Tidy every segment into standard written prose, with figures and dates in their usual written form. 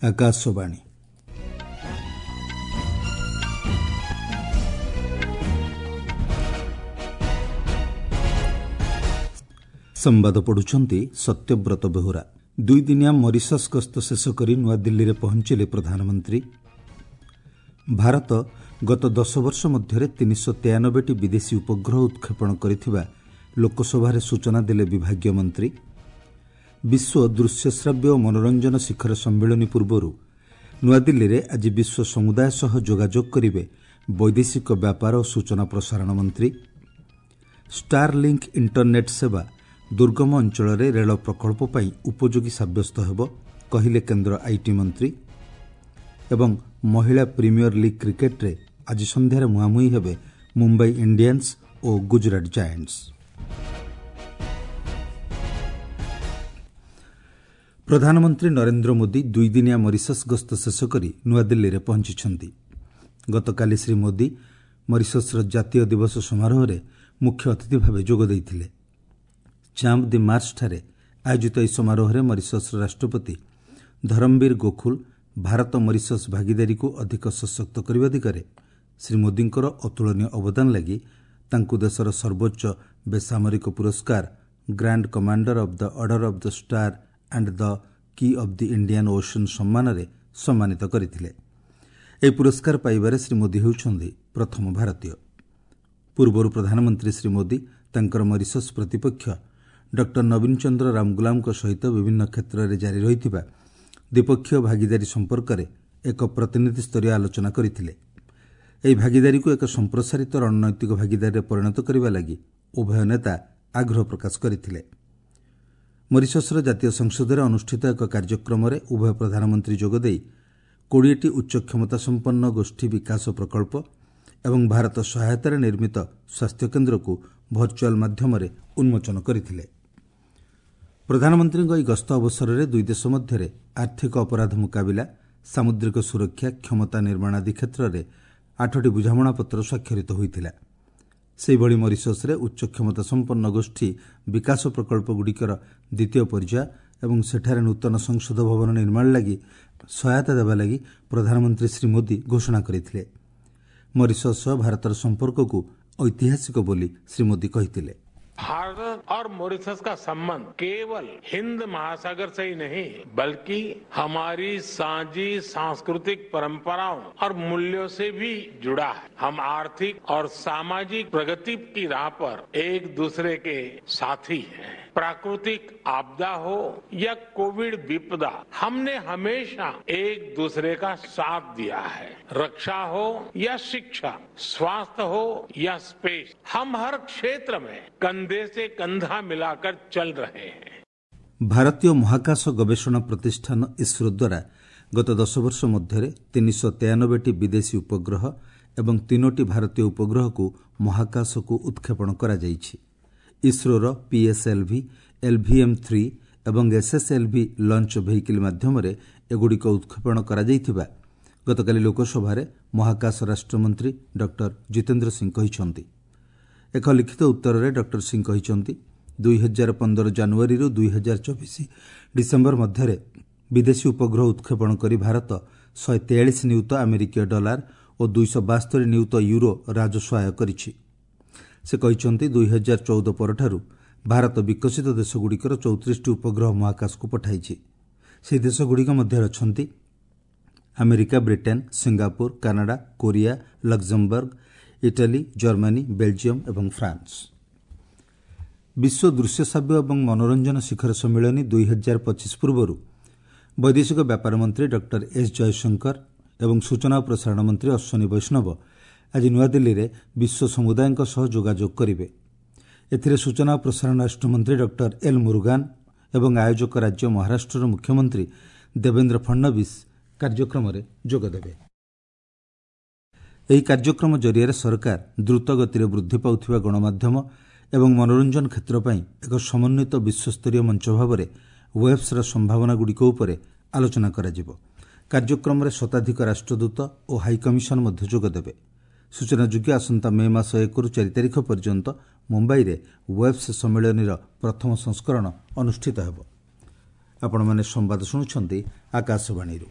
ଆକାଶବାଣୀ। ସମ୍ବାଦ ପଢ଼ୁଛନ୍ତି ସତ୍ୟବ୍ରତ ବେହୁରା। ଦୁଇଦିନିଆ ମରିସସ୍ ଗସ୍ତ ଶେଷ କରି ନୂଆଦିଲ୍ଲୀରେ ପହଞ୍ଚିଲେ ପ୍ରଧାନମନ୍ତ୍ରୀ। ଭାରତ ଗତ 10 ବର୍ଷ ମଧ୍ୟରେ 393ଟି ବିଦେଶୀ ଉପଗ୍ରହ ଉତ୍କ୍ଷେପଣ କରିଥିବା ଲୋକସଭାରେ ସୂଚନା ଦେଲେ ବିଭାଗୀୟ ମନ୍ତ୍ରୀ। ବିଶ୍ୱ ଦୃଶ୍ୟଶ୍ରାବ୍ୟ ଓ ମନୋରଞ୍ଜନ ଶିଖର ସମ୍ମିଳନୀ ପୂର୍ବରୁ ନୂଆଦିଲ୍ଲୀରେ ଆଜି ବିଶ୍ୱ ସମୁଦାୟ ସହ ଯୋଗାଯୋଗ କରିବେ ବୈଦେଶିକ ବ୍ୟାପାର ଓ ସୂଚନା ପ୍ରସାରଣ ମନ୍ତ୍ରୀ। ଷ୍ଟାରଲିଙ୍କ୍ ଇଣ୍ଟରନେଟ୍ ସେବା ଦୁର୍ଗମ ଅଞ୍ଚଳରେ ରେଳ ପ୍ରକଳ୍ପ ପାଇଁ ଉପଯୋଗୀ ସାବ୍ୟସ୍ତ ହେବ, କହିଲେ କେନ୍ଦ୍ର IT ମନ୍ତ୍ରୀ। ଏବଂ ମହିଳା ପ୍ରିମିୟର ଲିଗ୍ କ୍ରିକେଟ୍ରେ ଆଜି ସନ୍ଧ୍ୟାରେ ମୁହାଁମୁହିଁ ହେବେ ମୁମ୍ବାଇ ଇଣ୍ଡିଆନ୍ସ ଓ ଗୁଜରାଟ ଜାଏଣ୍ଟସ୍। ପ୍ରଧାନମନ୍ତ୍ରୀ ନରେନ୍ଦ୍ର ମୋଦି ଦୁଇଦିନିଆ ମରିସସ୍ ଗସ୍ତ ଶେଷ କରି ନୂଆଦିଲ୍ଲୀରେ ପହଞ୍ଚିଛନ୍ତି। ଗତକାଲି ଶ୍ରୀ ମୋଦି ମରିସସ୍ର ଜାତୀୟ ଦିବସ ସମାରୋହରେ ମୁଖ୍ୟ ଅତିଥି ଭାବେ ଯୋଗ ଦେଇଥିଲେ। ଚାମ୍ପ ଦି ମାର୍ସଠାରେ ଆୟୋଜିତ ଏହି ସମାରୋହରେ ମରିସସ୍ର ରାଷ୍ଟ୍ରପତି ଧରମବୀର ଗୋଖୁଲ ଭାରତ ମରିସସ୍ ଭାଗିଦାରୀକୁ ଅଧିକ ସଶକ୍ତ କରିବା ଦିଗରେ ଶ୍ରୀ ମୋଦିଙ୍କର ଅତୁଳନୀୟ ଅବଦାନ ଲାଗି ତାଙ୍କୁ ଦେଶର ସର୍ବୋଚ୍ଚ ବେସାମରିକ ପୁରସ୍କାର Grand Commander of the Order of the Star and the Key of the Indian Ocean ସମ୍ମାନରେ ସମ୍ମାନିତ କରିଥିଲେ। ଏହି ପୁରସ୍କାର ପାଇବାରେ ଶ୍ରୀ ମୋଦି ହେଉଛନ୍ତି ପ୍ରଥମ ଭାରତୀୟ। ପୂର୍ବରୁ ପ୍ରଧାନମନ୍ତ୍ରୀ ଶ୍ରୀ ମୋଦି ତାଙ୍କର ମରିସସ୍ ପ୍ରତିପକ୍ଷ ଡକ୍ଟର ନବୀନ ଚନ୍ଦ୍ର ରାମଗୁଲାମଙ୍କ ସହିତ ବିଭିନ୍ନ କ୍ଷେତ୍ରରେ ଜାରି ରହିଥିବା ଦ୍ୱିପକ୍ଷୀୟ ଭାଗିଦାରୀ ସମ୍ପର୍କରେ ଏକ ପ୍ରତିନିଧିସ୍ତରୀୟ ଆଲୋଚନା କରିଥିଲେ। ଏହି ଭାଗିଦାରୀକୁ ଏକ ସମ୍ପ୍ରସାରିତ ରଣନୈତିକ ଭାଗିଦାରୀରେ ପରିଣତ କରିବା ଲାଗି ଉଭୟ ନେତା ଆଗ୍ରହ ପ୍ରକାଶ କରିଥିଲେ। ମରିସସ୍ର ଜାତୀୟ ସଂସଦରେ ଅନୁଷ୍ଠିତ ଏକ କାର୍ଯ୍ୟକ୍ରମରେ ଉଭୟ ପ୍ରଧାନମନ୍ତ୍ରୀ ଯୋଗଦେଇ 20ଟି ଉଚ୍ଚ କ୍ଷମତାସମ୍ପନ୍ନ ଗୋଷ୍ଠୀ ବିକାଶ ପ୍ରକଳ୍ପ ଏବଂ ଭାରତ ସହାୟତାରେ ନିର୍ମିତ ସ୍ୱାସ୍ଥ୍ୟକେନ୍ଦ୍ରକୁ ଭର୍ଚୁଆଲ୍ ମାଧ୍ୟମରେ ଉନ୍ମୋଚନ କରିଥିଲେ। ପ୍ରଧାନମନ୍ତ୍ରୀଙ୍କ ଏହି ଗସ୍ତ ଅବସରରେ ଦୁଇ ଦେଶ ମଧ୍ୟରେ ଆର୍ଥିକ ଅପରାଧ ମୁକାବିଲା, ସାମୁଦ୍ରିକ ସୁରକ୍ଷା, କ୍ଷମତା ନିର୍ମାଣ ଆଦି କ୍ଷେତ୍ରରେ 8ଟି ବୁଝାମଣାପତ୍ର ସ୍ୱାକ୍ଷରିତ ହୋଇଥିଲା। ସେହିଭଳି ମରିସସ୍ରେ ଉଚ୍ଚ କ୍ଷମତାସମ୍ପନ୍ନ ଗୋଷ୍ଠୀ ବିକାଶ ପ୍ରକଳ୍ପଗୁଡ଼ିକର ଦ୍ୱିତୀୟ ପର୍ଯ୍ୟାୟ ଏବଂ ସେଠାରେ ନୂତନ ସଂସଦ ଭବନ ନିର୍ମାଣ ଲାଗି ସହାୟତା ଦେବା ଲାଗି ପ୍ରଧାନମନ୍ତ୍ରୀ ଶ୍ରୀ ମୋଦି ଘୋଷଣା କରିଥିଲେ। ମରିସସ୍ ସହ ଭାରତର ସମ୍ପର୍କକୁ ଐତିହାସିକ ବୋଲି ଶ୍ରୀ ମୋଦି କହିଥିଲେ। भारत और मॉरिशस का संबंध केवल हिंद महासागर से ही नहीं, बल्कि हमारी साझी सांस्कृतिक परंपराओं और मूल्यों से भी जुड़ा है। हम आर्थिक और सामाजिक प्रगति की राह पर एक दूसरे के साथी हैं। प्राकृतिक आपदा हो या कोविड विपदा, हमने हमेशा एक दूसरे का साथ दिया है। रक्षा हो या शिक्षा, स्वास्थ्य हो या स्पेस, हम हर क्षेत्र में कंधे से कंधा मिलाकर चल रहे हैं। ଭାରତୀୟ ମହାକାଶ ଗବେଷଣା ପ୍ରତିଷ୍ଠାନ ଇସ୍ରୋ ଦ୍ୱାରା ଗତ 10 ବର୍ଷ ମଧ୍ୟରେ 393ଟି ବିଦେଶୀ ଉପଗ୍ରହ ଏବଂ 3ଟି ଭାରତୀୟ ଉପଗ୍ରହକୁ ମହାକାଶକୁ ଉତ୍କ୍ଷେପଣ କରାଯାଇଛି। ଇସ୍ରୋର ପିଏସ୍ଏଲ୍ଭି, ଏଲ୍ଭିଏମ୍ 3 ଏବଂ ଏସ୍ଏସ୍ଏଲ୍ଭି ଲଞ୍ଚ ଭେହିକିଲ୍ ମାଧ୍ୟମରେ ଏଗୁଡ଼ିକ ଉତ୍କ୍ଷେପଣ କରାଯାଇଥିବା ଗତକାଲି ଲୋକସଭାରେ ମହାକାଶ ରାଷ୍ଟ୍ରମନ୍ତ୍ରୀ ଡକ୍ଟର ଜିତେନ୍ଦ୍ର ସିଂ କହିଛନ୍ତି। ଏକ ଲିଖିତ ଉତ୍ତରରେ ଡକ୍ଟର ସିଂ କହିଛନ୍ତି, 2015 ଜାନୁଆରୀରୁ 2024 ଡିସେମ୍ବର ମଧ୍ୟରେ ବିଦେଶୀ ଉପଗ୍ରହ ଉତ୍କ୍ଷେପଣ କରି ଭାରତ 143 ନିୟୁତ ଆମେରିକୀୟ ଡଲାର ଓ 272 ନିୟୁତ ୟୁରୋ ରାଜସ୍ୱ ଆୟ କରିଛି। ସେ କହିଛନ୍ତି, 2014 ପରଠାରୁ ଭାରତ ବିକଶିତ ଦେଶଗୁଡ଼ିକର 34ଟି ଉପଗ୍ରହ ମହାକାଶକୁ ପଠାଇଛି। ସେହି ଦେଶଗୁଡ଼ିକ ମଧ୍ୟରେ ଅଛନ୍ତି America, Britain, Singapore, Canada, Korea, Luxembourg, Italy, Germany, Belgium ଏବଂ ଫ୍ରାନ୍ସ। ବିଶ୍ୱ ଦୃଶ୍ୟଶ୍ରାବ୍ୟ ଏବଂ ମନୋରଞ୍ଜନ ଶିଖର ସମ୍ମିଳନୀ 2025 ପୂର୍ବରୁ ବୈଦେଶିକ ବ୍ୟାପାର ମନ୍ତ୍ରୀ ଡକ୍ଟର ଏସ୍ ଜୟଶଙ୍କର ଏବଂ ସୂଚନା ଓ ପ୍ରସାରଣ ମନ୍ତ୍ରୀ ଅଶ୍ୱିନୀ ବୈଷ୍ଣବ ଆଜି ନୂଆଦିଲ୍ଲୀରେ ବିଶ୍ୱ ସମୁଦାୟଙ୍କ ସହ ଯୋଗାଯୋଗ କରିବେ। ଏଥିରେ ସୂଚନା ଓ ପ୍ରସାରଣ ରାଷ୍ଟ୍ରମନ୍ତ୍ରୀ ଡକ୍ଟର ଏଲ୍ ମୁରୁଗାନ ଏବଂ ଆୟୋଜକ ରାଜ୍ୟ ମହାରାଷ୍ଟ୍ରର ମୁଖ୍ୟମନ୍ତ୍ରୀ ଦେବେନ୍ଦ୍ର ଫଡ୍ନବୀସ କାର୍ଯ୍ୟକ୍ରମରେ ଯୋଗଦେବେ। ଏହି କାର୍ଯ୍ୟକ୍ରମ ଜରିଆରେ ସରକାର ଦ୍ରୁତ ଗତିରେ ବୃଦ୍ଧି ପାଉଥିବା ଗଣମାଧ୍ୟମ ଏବଂ ମନୋରଞ୍ଜନ କ୍ଷେତ୍ର ପାଇଁ ଏକ ସମନ୍ୱିତ ବିଶ୍ୱସ୍ତରୀୟ ମଞ୍ଚ ଭାବରେ ୱେବ୍ସର ସମ୍ଭାବନାଗୁଡ଼ିକ ଉପରେ ଆଲୋଚନା କରାଯିବ। କାର୍ଯ୍ୟକ୍ରମରେ ଶତାଧିକ ରାଷ୍ଟ୍ରଦୂତ ଓ ହାଇକମିଶନ ମଧ୍ୟ ଯୋଗଦେବେ। ସୂଚନାଯୋଗ୍ୟ, ଆସନ୍ତା ମେ ମାସ 1ରୁ 4 ତାରିଖ ପର୍ଯ୍ୟନ୍ତ ମୁମ୍ବାଇରେ ୱେବ୍ସ ସମ୍ମିଳନୀର ପ୍ରଥମ ସଂସ୍କରଣ ଅନୁଷ୍ଠିତ ହେବ। ଆପଣମାନେ ସମ୍ବାଦ ଶୁଣୁଛନ୍ତି ଆକାଶବାଣୀରୁ।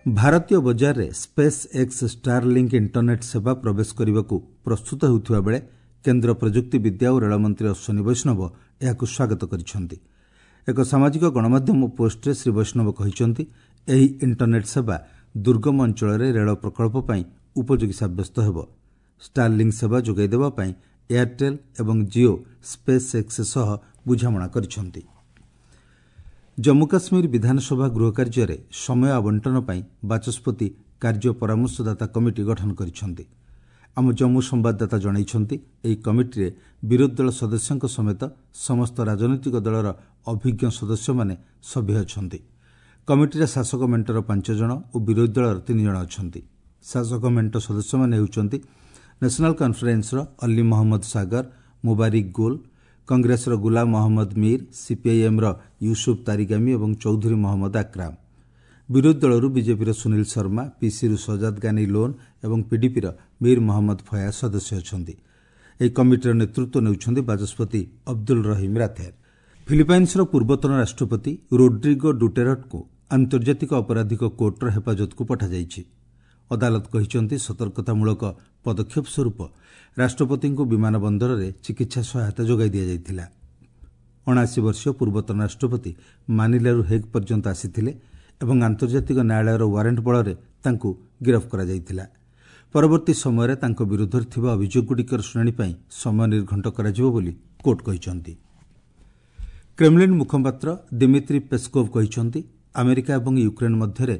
ଭାରତୀୟ ବଜାରରେ ସ୍ପେସ୍ ଏକ୍ସ ଷ୍ଟାରଲିଙ୍କ୍ ଇଣ୍ଟରନେଟ୍ ସେବା ପ୍ରବେଶ କରିବାକୁ ପ୍ରସ୍ତୁତ ହେଉଥିବା ବେଳେ କେନ୍ଦ୍ର ପ୍ରଯୁକ୍ତି ବିଦ୍ୟା ଓ ରେଳମନ୍ତ୍ରୀ ଅଶ୍ୱିନୀ ବୈଷ୍ଣବ ଏହାକୁ ସ୍ୱାଗତ କରିଛନ୍ତି। ଏକ ସାମାଜିକ ଗଣମାଧ୍ୟମ ପୋଷ୍ଟରେ ଶ୍ରୀ ବୈଷ୍ଣବ କହିଛନ୍ତି, ଏହି ଇଣ୍ଟରନେଟ୍ ସେବା ଦୁର୍ଗମ ଅଞ୍ଚଳରେ ରେଳ ପ୍ରକଳ୍ପ ପାଇଁ ଉପଯୋଗୀ ସାବ୍ୟସ୍ତ ହେବ। ଷ୍ଟାରଲିଙ୍କ୍ ସେବା ଯୋଗାଇ ଦେବା ପାଇଁ ଏୟାରଟେଲ୍ ଏବଂ ଜିଓ ସ୍ପେସ୍ ଏକ୍ସ ସହ ବୁଝାମଣା କରିଛନ୍ତି। ଜମ୍ମୁ କାଶ୍ମୀର ବିଧାନସଭା ଗୃହ କାର୍ଯ୍ୟରେ ସମୟ ଆବଣ୍ଟନ ପାଇଁ ବାଚସ୍ପତି କାର୍ଯ୍ୟ ପରାମର୍ଶଦାତା କମିଟି ଗଠନ କରିଛନ୍ତି। ଆମ ଜମ୍ମୁ ସମ୍ବାଦଦାତା ଜଣାଇଛନ୍ତି, ଏହି କମିଟିରେ ବିରୋଧୀ ଦଳ ସଦସ୍ୟଙ୍କ ସମେତ ସମସ୍ତ ରାଜନୈତିକ ଦଳର ଅଭିଜ୍ଞ ସଦସ୍ୟମାନେ ସଭ୍ୟ ଅଛନ୍ତି। କମିଟିରେ ଶାସକ ମେଣ୍ଟର 5 ଜଣ ଓ ବିରୋଧୀ ଦଳର 3 ଜଣ ଅଛନ୍ତି। ଶାସକ ମେଣ୍ଟ ସଦସ୍ୟମାନେ ହେଉଛନ୍ତି ନ୍ୟାସନାଲ୍ କନ୍ଫରେନ୍ସର ଅଲ୍ଲୀ ମହମ୍ମଦ ସାଗର, ମୁବାରିକ ଗୁଲ୍, କଂଗ୍ରେସର ଗୁଲାମ ମହମ୍ମଦ ମୀର, ସିପିଆଇଏମ୍ର ୟୁସୁଫ ତାରିଗାମୀ ଏବଂ ଚୌଧୁରୀ ମହମ୍ମଦ ଆକ୍ରାମ। ବିରୋଧୀ ଦଳରୁ ବିଜେପିର ସୁନୀଲ ଶର୍ମା, ପିସିରୁ ସଜାଦ ଗାନି ଲୋନ୍ ଏବଂ ପିଡିପିର ମୀର ମହମ୍ମଦ ଫୟାଜ ସଦସ୍ୟ ଅଛନ୍ତି। ଏହି କମିଟିର ନେତୃତ୍ୱ ନେଉଛନ୍ତି ବାଚସ୍ପତି ଅବଦୁଲ ରହିମ୍ ରାଥେର। ଫିଲିପାଇନ୍ସର ପୂର୍ବତନ ରାଷ୍ଟ୍ରପତି ରୋଡ୍ରିଗୋ ଡୁଟେରଟଙ୍କୁ ଆନ୍ତର୍ଜାତିକ ଅପରାଧିକ କୋର୍ଟର ହେଫାଜତକୁ ପଠାଯାଇଛି। ଅଦାଲତ କହିଛନ୍ତି, ସତର୍କତାମୂଳକ ପଦକ୍ଷେପ ସ୍ୱରୂପ ରାଷ୍ଟ୍ରପତିଙ୍କୁ ବିମାନ ବନ୍ଦରରେ ଚିକିତ୍ସା ସହାୟତା ଯୋଗାଇ ଦିଆଯାଇଥିଲା। 79 ବର୍ଷୀୟ ପୂର୍ବତନ ରାଷ୍ଟ୍ରପତି ମାନିଲାରୁ ହେଗ୍ ପର୍ଯ୍ୟନ୍ତ ଆସିଥିଲେ ଏବଂ ଆନ୍ତର୍ଜାତିକ ନ୍ୟାୟାଳୟର ୱାରେଣ୍ଟ ବଳରେ ତାଙ୍କୁ ଗିରଫ କରାଯାଇଥିଲା। ପରବର୍ତ୍ତୀ ସମୟରେ ତାଙ୍କ ବିରୁଦ୍ଧରେ ଥିବା ଅଭିଯୋଗଗୁଡ଼ିକର ଶୁଣାଣି ପାଇଁ ସମୟ ନିର୍ଘଣ୍ଟ କରାଯିବ ବୋଲି କୋର୍ଟ କହିଛନ୍ତି। କ୍ରେମଲିନ୍ ମୁଖପାତ୍ର ଦିମିତ୍ରି ପେସ୍କୋଭ୍ କହିଛନ୍ତି, ଆମେରିକା ଏବଂ ୟୁକ୍ରେନ୍ ମଧ୍ୟରେ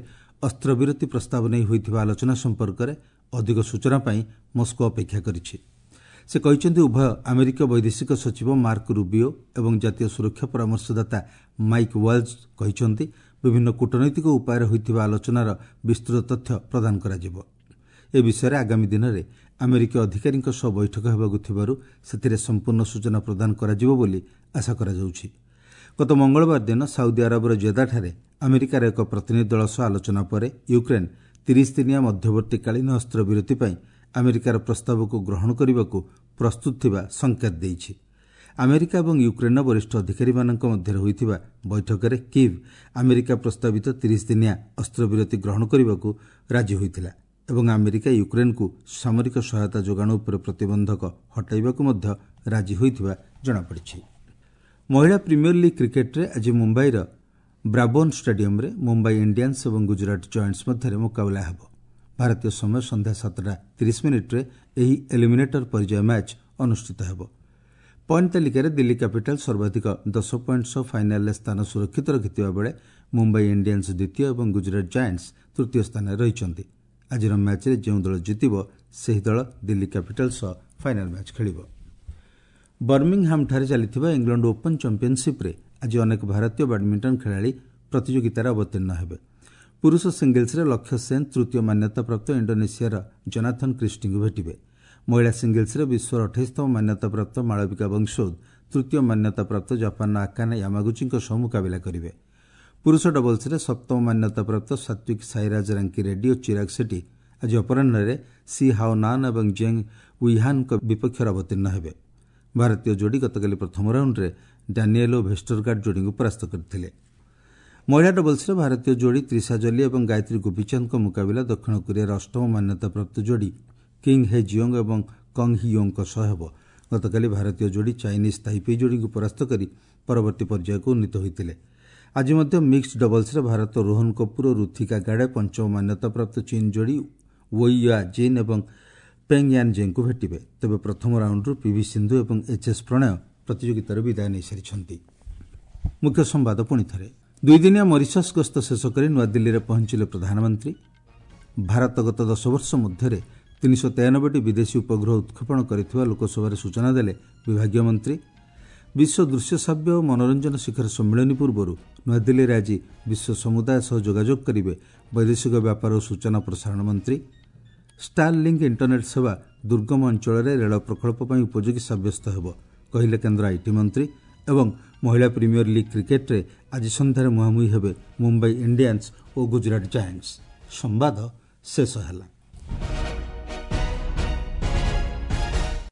ଅସ୍ତ୍ରବିରତି ପ୍ରସ୍ତାବ ନେଇ ହୋଇଥିବା ଆଲୋଚନା ସମ୍ପର୍କରେ ଅଧିକ ସୂଚନା ପାଇଁ ମସ୍କୋ ଅପେକ୍ଷା କରିଛି। ସେ କହିଛନ୍ତି, ଉଭୟ ଆମେରିକୀୟ ବୈଦେଶିକ ସଚିବ ମାର୍କ ରୁବିଓ ଏବଂ ଜାତୀୟ ସୁରକ୍ଷା ପରାମର୍ଶଦାତା ମାଇକ୍ ୱାଲ୍ଜ କହିଛନ୍ତି, ବିଭିନ୍ନ କୂଟନୈତିକ ଉପାୟରେ ହୋଇଥିବା ଆଲୋଚନାର ବିସ୍ତୃତ ତଥ୍ୟ ପ୍ରଦାନ କରାଯିବ। ଏ ବିଷୟରେ ଆଗାମୀ ଦିନରେ ଆମେରିକୀୟ ଅଧିକାରୀଙ୍କ ସହ ବୈଠକ ହେବାକୁ ଥିବାରୁ ସେଥିରେ ସମ୍ପୂର୍ଣ୍ଣ ସୂଚନା ପ୍ରଦାନ କରାଯିବ ବୋଲି ଆଶା କରାଯାଉଛି। ଗତ ମଙ୍ଗଳବାର ଦିନ ସାଉଦି ଆରବର ଜେଦାଠାରେ ଆମେରିକାର ଏକ ପ୍ରତିନିଧି ଦଳ ସହ ଆଲୋଚନା ପରେ ୟୁକ୍ରେନ୍ 30 ଦିନିଆ ମଧ୍ୟବର୍ତ୍ତୀକାଳୀନ ଅସ୍ତ୍ରବିରତି ପାଇଁ ଆମେରିକାର ପ୍ରସ୍ତାବକୁ ଗ୍ରହଣ କରିବାକୁ ପ୍ରସ୍ତୁତ ଥିବା ସଙ୍କେତ ଦେଇଛି। ଆମେରିକା ଏବଂ ୟୁକ୍ରେନ୍ର ବରିଷ୍ଠ ଅଧିକାରୀମାନଙ୍କ ମଧ୍ୟରେ ହୋଇଥିବା ବୈଠକରେ କିଭ୍ ଆମେରିକା ପ୍ରସ୍ତାବିତ 30 ଦିନିଆ ଅସ୍ତ୍ରବିରତି ଗ୍ରହଣ କରିବାକୁ ରାଜି ହୋଇଥିଲା ଏବଂ ଆମେରିକା ୟୁକ୍ରେନ୍କୁ ସାମରିକ ସହାୟତା ଯୋଗାଣ ଉପରେ ପ୍ରତିବନ୍ଧକ ହଟାଇବାକୁ ମଧ୍ୟ ରାଜି ହୋଇଥିବା ଜଣାପଡ଼ିଛି। ମହିଳା ପ୍ରିମିୟର ଲିଗ୍ କ୍ରିକେଟ୍ରେ ଆଜି ମୁମ୍ବାଇର ବ୍ରାବୋନ୍ ଷ୍ଟାଡିୟମ୍ରେ ମୁମ୍ବାଇ ଇଣ୍ଡିଆନ୍ସ ଏବଂ ଗୁଜରାଟ ଜଏଣ୍ଟସ୍ ମଧ୍ୟରେ ମୁକାବିଲା ହେବ। ଭାରତୀୟ ସମୟ ସନ୍ଧ୍ୟା 7:30 ଏହି ଏଲିମିନେଟର ପର୍ଯ୍ୟାୟ ମ୍ୟାଚ୍ ଅନୁଷ୍ଠିତ ହେବ। ପଏଣ୍ଟ ତାଲିକାରେ ଦିଲ୍ଲୀ କ୍ୟାପିଟାଲ୍ ସର୍ବାଧିକ 10 ପଏଣ୍ଟ ସହ ଫାଇନାଲ୍ରେ ସ୍ଥାନ ସୁରକ୍ଷିତ ରଖିଥିବା ବେଳେ ମୁମ୍ବାଇ ଇଣ୍ଡିଆନ୍ସ ଦ୍ୱିତୀୟ ଏବଂ ଗୁଜରାଟ ଜାଏଣ୍ଟସ୍ ତୃତୀୟ ସ୍ଥାନରେ ରହିଛନ୍ତି। ଆଜିର ମ୍ୟାଚ୍ରେ ଯେଉଁ ଦଳ ଜିତିବ ସେହି ଦଳ ଦିଲ୍ଲୀ କ୍ୟାପିଟାଲ୍ ସହ ଫାଇନାଲ୍ ମ୍ୟାଚ୍ ଖେଳିବ। ବର୍ମିଂହାମ୍ଠାରେ ଚାଲିଥିବା ଇଂଲଣ୍ଡ ଓପନ୍ ଚାମ୍ପିୟନସିପ୍ରେ ଆଜି ଅନେକ ଭାରତୀୟ ବ୍ୟାଡମିଣ୍ଟନ ଖେଳାଳି ପ୍ରତିଯୋଗିତାରେ ଅବତୀର୍ଣ୍ଣ ହେବେ। ପୁରୁଷ ସିଙ୍ଗଲ୍ସରେ ଲକ୍ଷ୍ୟ ସେନ୍ ତୃତୀୟ ମାନ୍ୟତାପ୍ରାପ୍ତ ଇଣ୍ଡୋନେସିଆର ଜନାଥନ କ୍ରିଷ୍ଟିଙ୍କୁ ଭେଟିବେ। ମହିଳା ସିଙ୍ଗଲ୍ସରେ ବିଶ୍ୱର 28ତମ ମାନ୍ୟତାପ୍ରାପ୍ତ ମାଳବିକା ବଂଶୋଦ ତୃତୀୟ ମାନ୍ୟତାପ୍ରାପ୍ତ ଜାପାନର ଆକାନେ ୟାମାଗୁଚିଙ୍କ ସହ ମୁକାବିଲା କରିବେ। ପୁରୁଷ ଡବଲ୍ସରେ ସପ୍ତମ ମାନ୍ୟତାପ୍ରାପ୍ତ ସାତ୍ୱିକ ସାଇରାଜ ରାଙ୍କି ରେଡ୍ଡି ଓ ଚିରାଗ ସେଟ୍ଟି ଆଜି ଅପରାହ୍ନରେ ସି ହାଓ ନାନ୍ ଏବଂ ଜେଙ୍ଗ ୱିହାନ୍ଙ୍କ ବିପକ୍ଷରେ ଅବତୀର୍ଣ୍ଣ ହେବେ। ଭାରତୀୟ ଯୋଡ଼ି ଗତକାଲି ପ୍ରଥମ ରାଉଣ୍ଡରେ ଡାନିଏଲ୍ ଓ ଭେଷ୍ଟରଗାର୍ଡ ଯୋଡ଼ିଙ୍କୁ ପରାସ୍ତ କରିଥିଲେ। ମହିଳା ଡବଲ୍ସରେ ଭାରତୀୟ ଯୋଡ଼ି ତ୍ରିଶା ଜଲି ଏବଂ ଗାୟତ୍ରୀ ଗୋପୀଚାନ୍ଦଙ୍କ ମୁକାବିଲା ଦକ୍ଷିଣ କୋରିଆର ଅଷ୍ଟମ ମାନ୍ୟତାପ୍ରାପ୍ତ ଯୋଡ଼ି କିଙ୍ଗ ହେ ଜିଓଙ୍ଗ ଏବଂ କଙ୍ଗ ହି ୟୋଙ୍ଗଙ୍କ ସହ ହେବ। ଗତକାଲି ଭାରତୀୟ ଯୋଡ଼ି ଚାଇନିଜ୍ ତାଇପେଇ ଯୋଡ଼ିଙ୍କୁ ପରାସ୍ତ କରି ପରବର୍ତ୍ତୀ ପର୍ଯ୍ୟାୟକୁ ଉନ୍ନୀତ ହୋଇଥିଲେ। ଆଜି ମଧ୍ୟ ମିକ୍ସଡ୍ ଡବଲ୍ସରେ ଭାରତ ରୋହନ କପୁର ଓ ରୁଥିକା ଗାଡେ ପଞ୍ଚମ ମାନ୍ୟତାପ୍ରାପ୍ତ ଚୀନ୍ ଯୋଡ଼ି ୱେଇ ୟା ଜିନ୍ ଏବଂ ପେଙ୍ଗ ୟାନ୍ ଜେଙ୍କୁ ଭେଟିବେ। ତେବେ ପ୍ରଥମ ରାଉଣ୍ଡରୁ ପିଭି ସିନ୍ଧୁ ଏବଂ ଏଚ୍ଏସ୍ ପ୍ରଣୟ ପ୍ରତିଯୋଗିତାରୁ ବିଦାୟ ନେଇସାରିଛନ୍ତି। ମୁଖ୍ୟ ସମ୍ବାଦ ପୁଣି ଥରେ। ଦୁଇଦିନିଆ ମରିସସ୍ ଗସ୍ତ ଶେଷ କରି ନୂଆଦିଲ୍ଲୀରେ ପହଞ୍ଚିଲେ ପ୍ରଧାନମନ୍ତ୍ରୀ। ଭାରତ ଗତ 10 ବର୍ଷ ମଧ୍ୟରେ 393ଟି ବିଦେଶୀ ଉପଗ୍ରହ ଉତ୍କ୍ଷେପଣ କରିଥିବା ଲୋକସଭାରେ ସୂଚନା ଦେଲେ ବିଭାଗୀୟ ମନ୍ତ୍ରୀ। ବିଶ୍ୱ ଦୃଶ୍ୟଶ୍ରାବ୍ୟ ଓ ମନୋରଞ୍ଜନ ଶିଖର ସମ୍ମିଳନୀ ପୂର୍ବରୁ ନୂଆଦିଲ୍ଲୀରେ ଆଜି ବିଶ୍ୱ ସମୁଦାୟ ସହ ଯୋଗାଯୋଗ କରିବେ ବୈଦେଶିକ ବ୍ୟାପାର ଓ ସୂଚନା ପ୍ରସାରଣ ମନ୍ତ୍ରୀ। ଷ୍ଟାରଲିଙ୍କ୍ ଇଣ୍ଟରନେଟ୍ ସେବା ଦୁର୍ଗମ ଅଞ୍ଚଳରେ ରେଳ ପ୍ରକଳ୍ପ ପାଇଁ ଉପଯୋଗୀ ସାବ୍ୟସ୍ତ ହେବ କହିଲେ କେନ୍ଦ୍ର IT ମନ୍ତ୍ରୀ। ଏବଂ ମହିଳା ପ୍ରିମିୟର ଲିଗ୍ କ୍ରିକେଟ୍ରେ ଆଜି ସନ୍ଧ୍ୟାରେ ମୁହାଁମୁହିଁ ହେବେ ମୁମ୍ବାଇ ଇଣ୍ଡିଆନ୍ସ ଓ ଗୁଜରାଟ ଜାଏଣ୍ଟସ୍। ସମ୍ବାଦ ଶେଷ ହେଲା।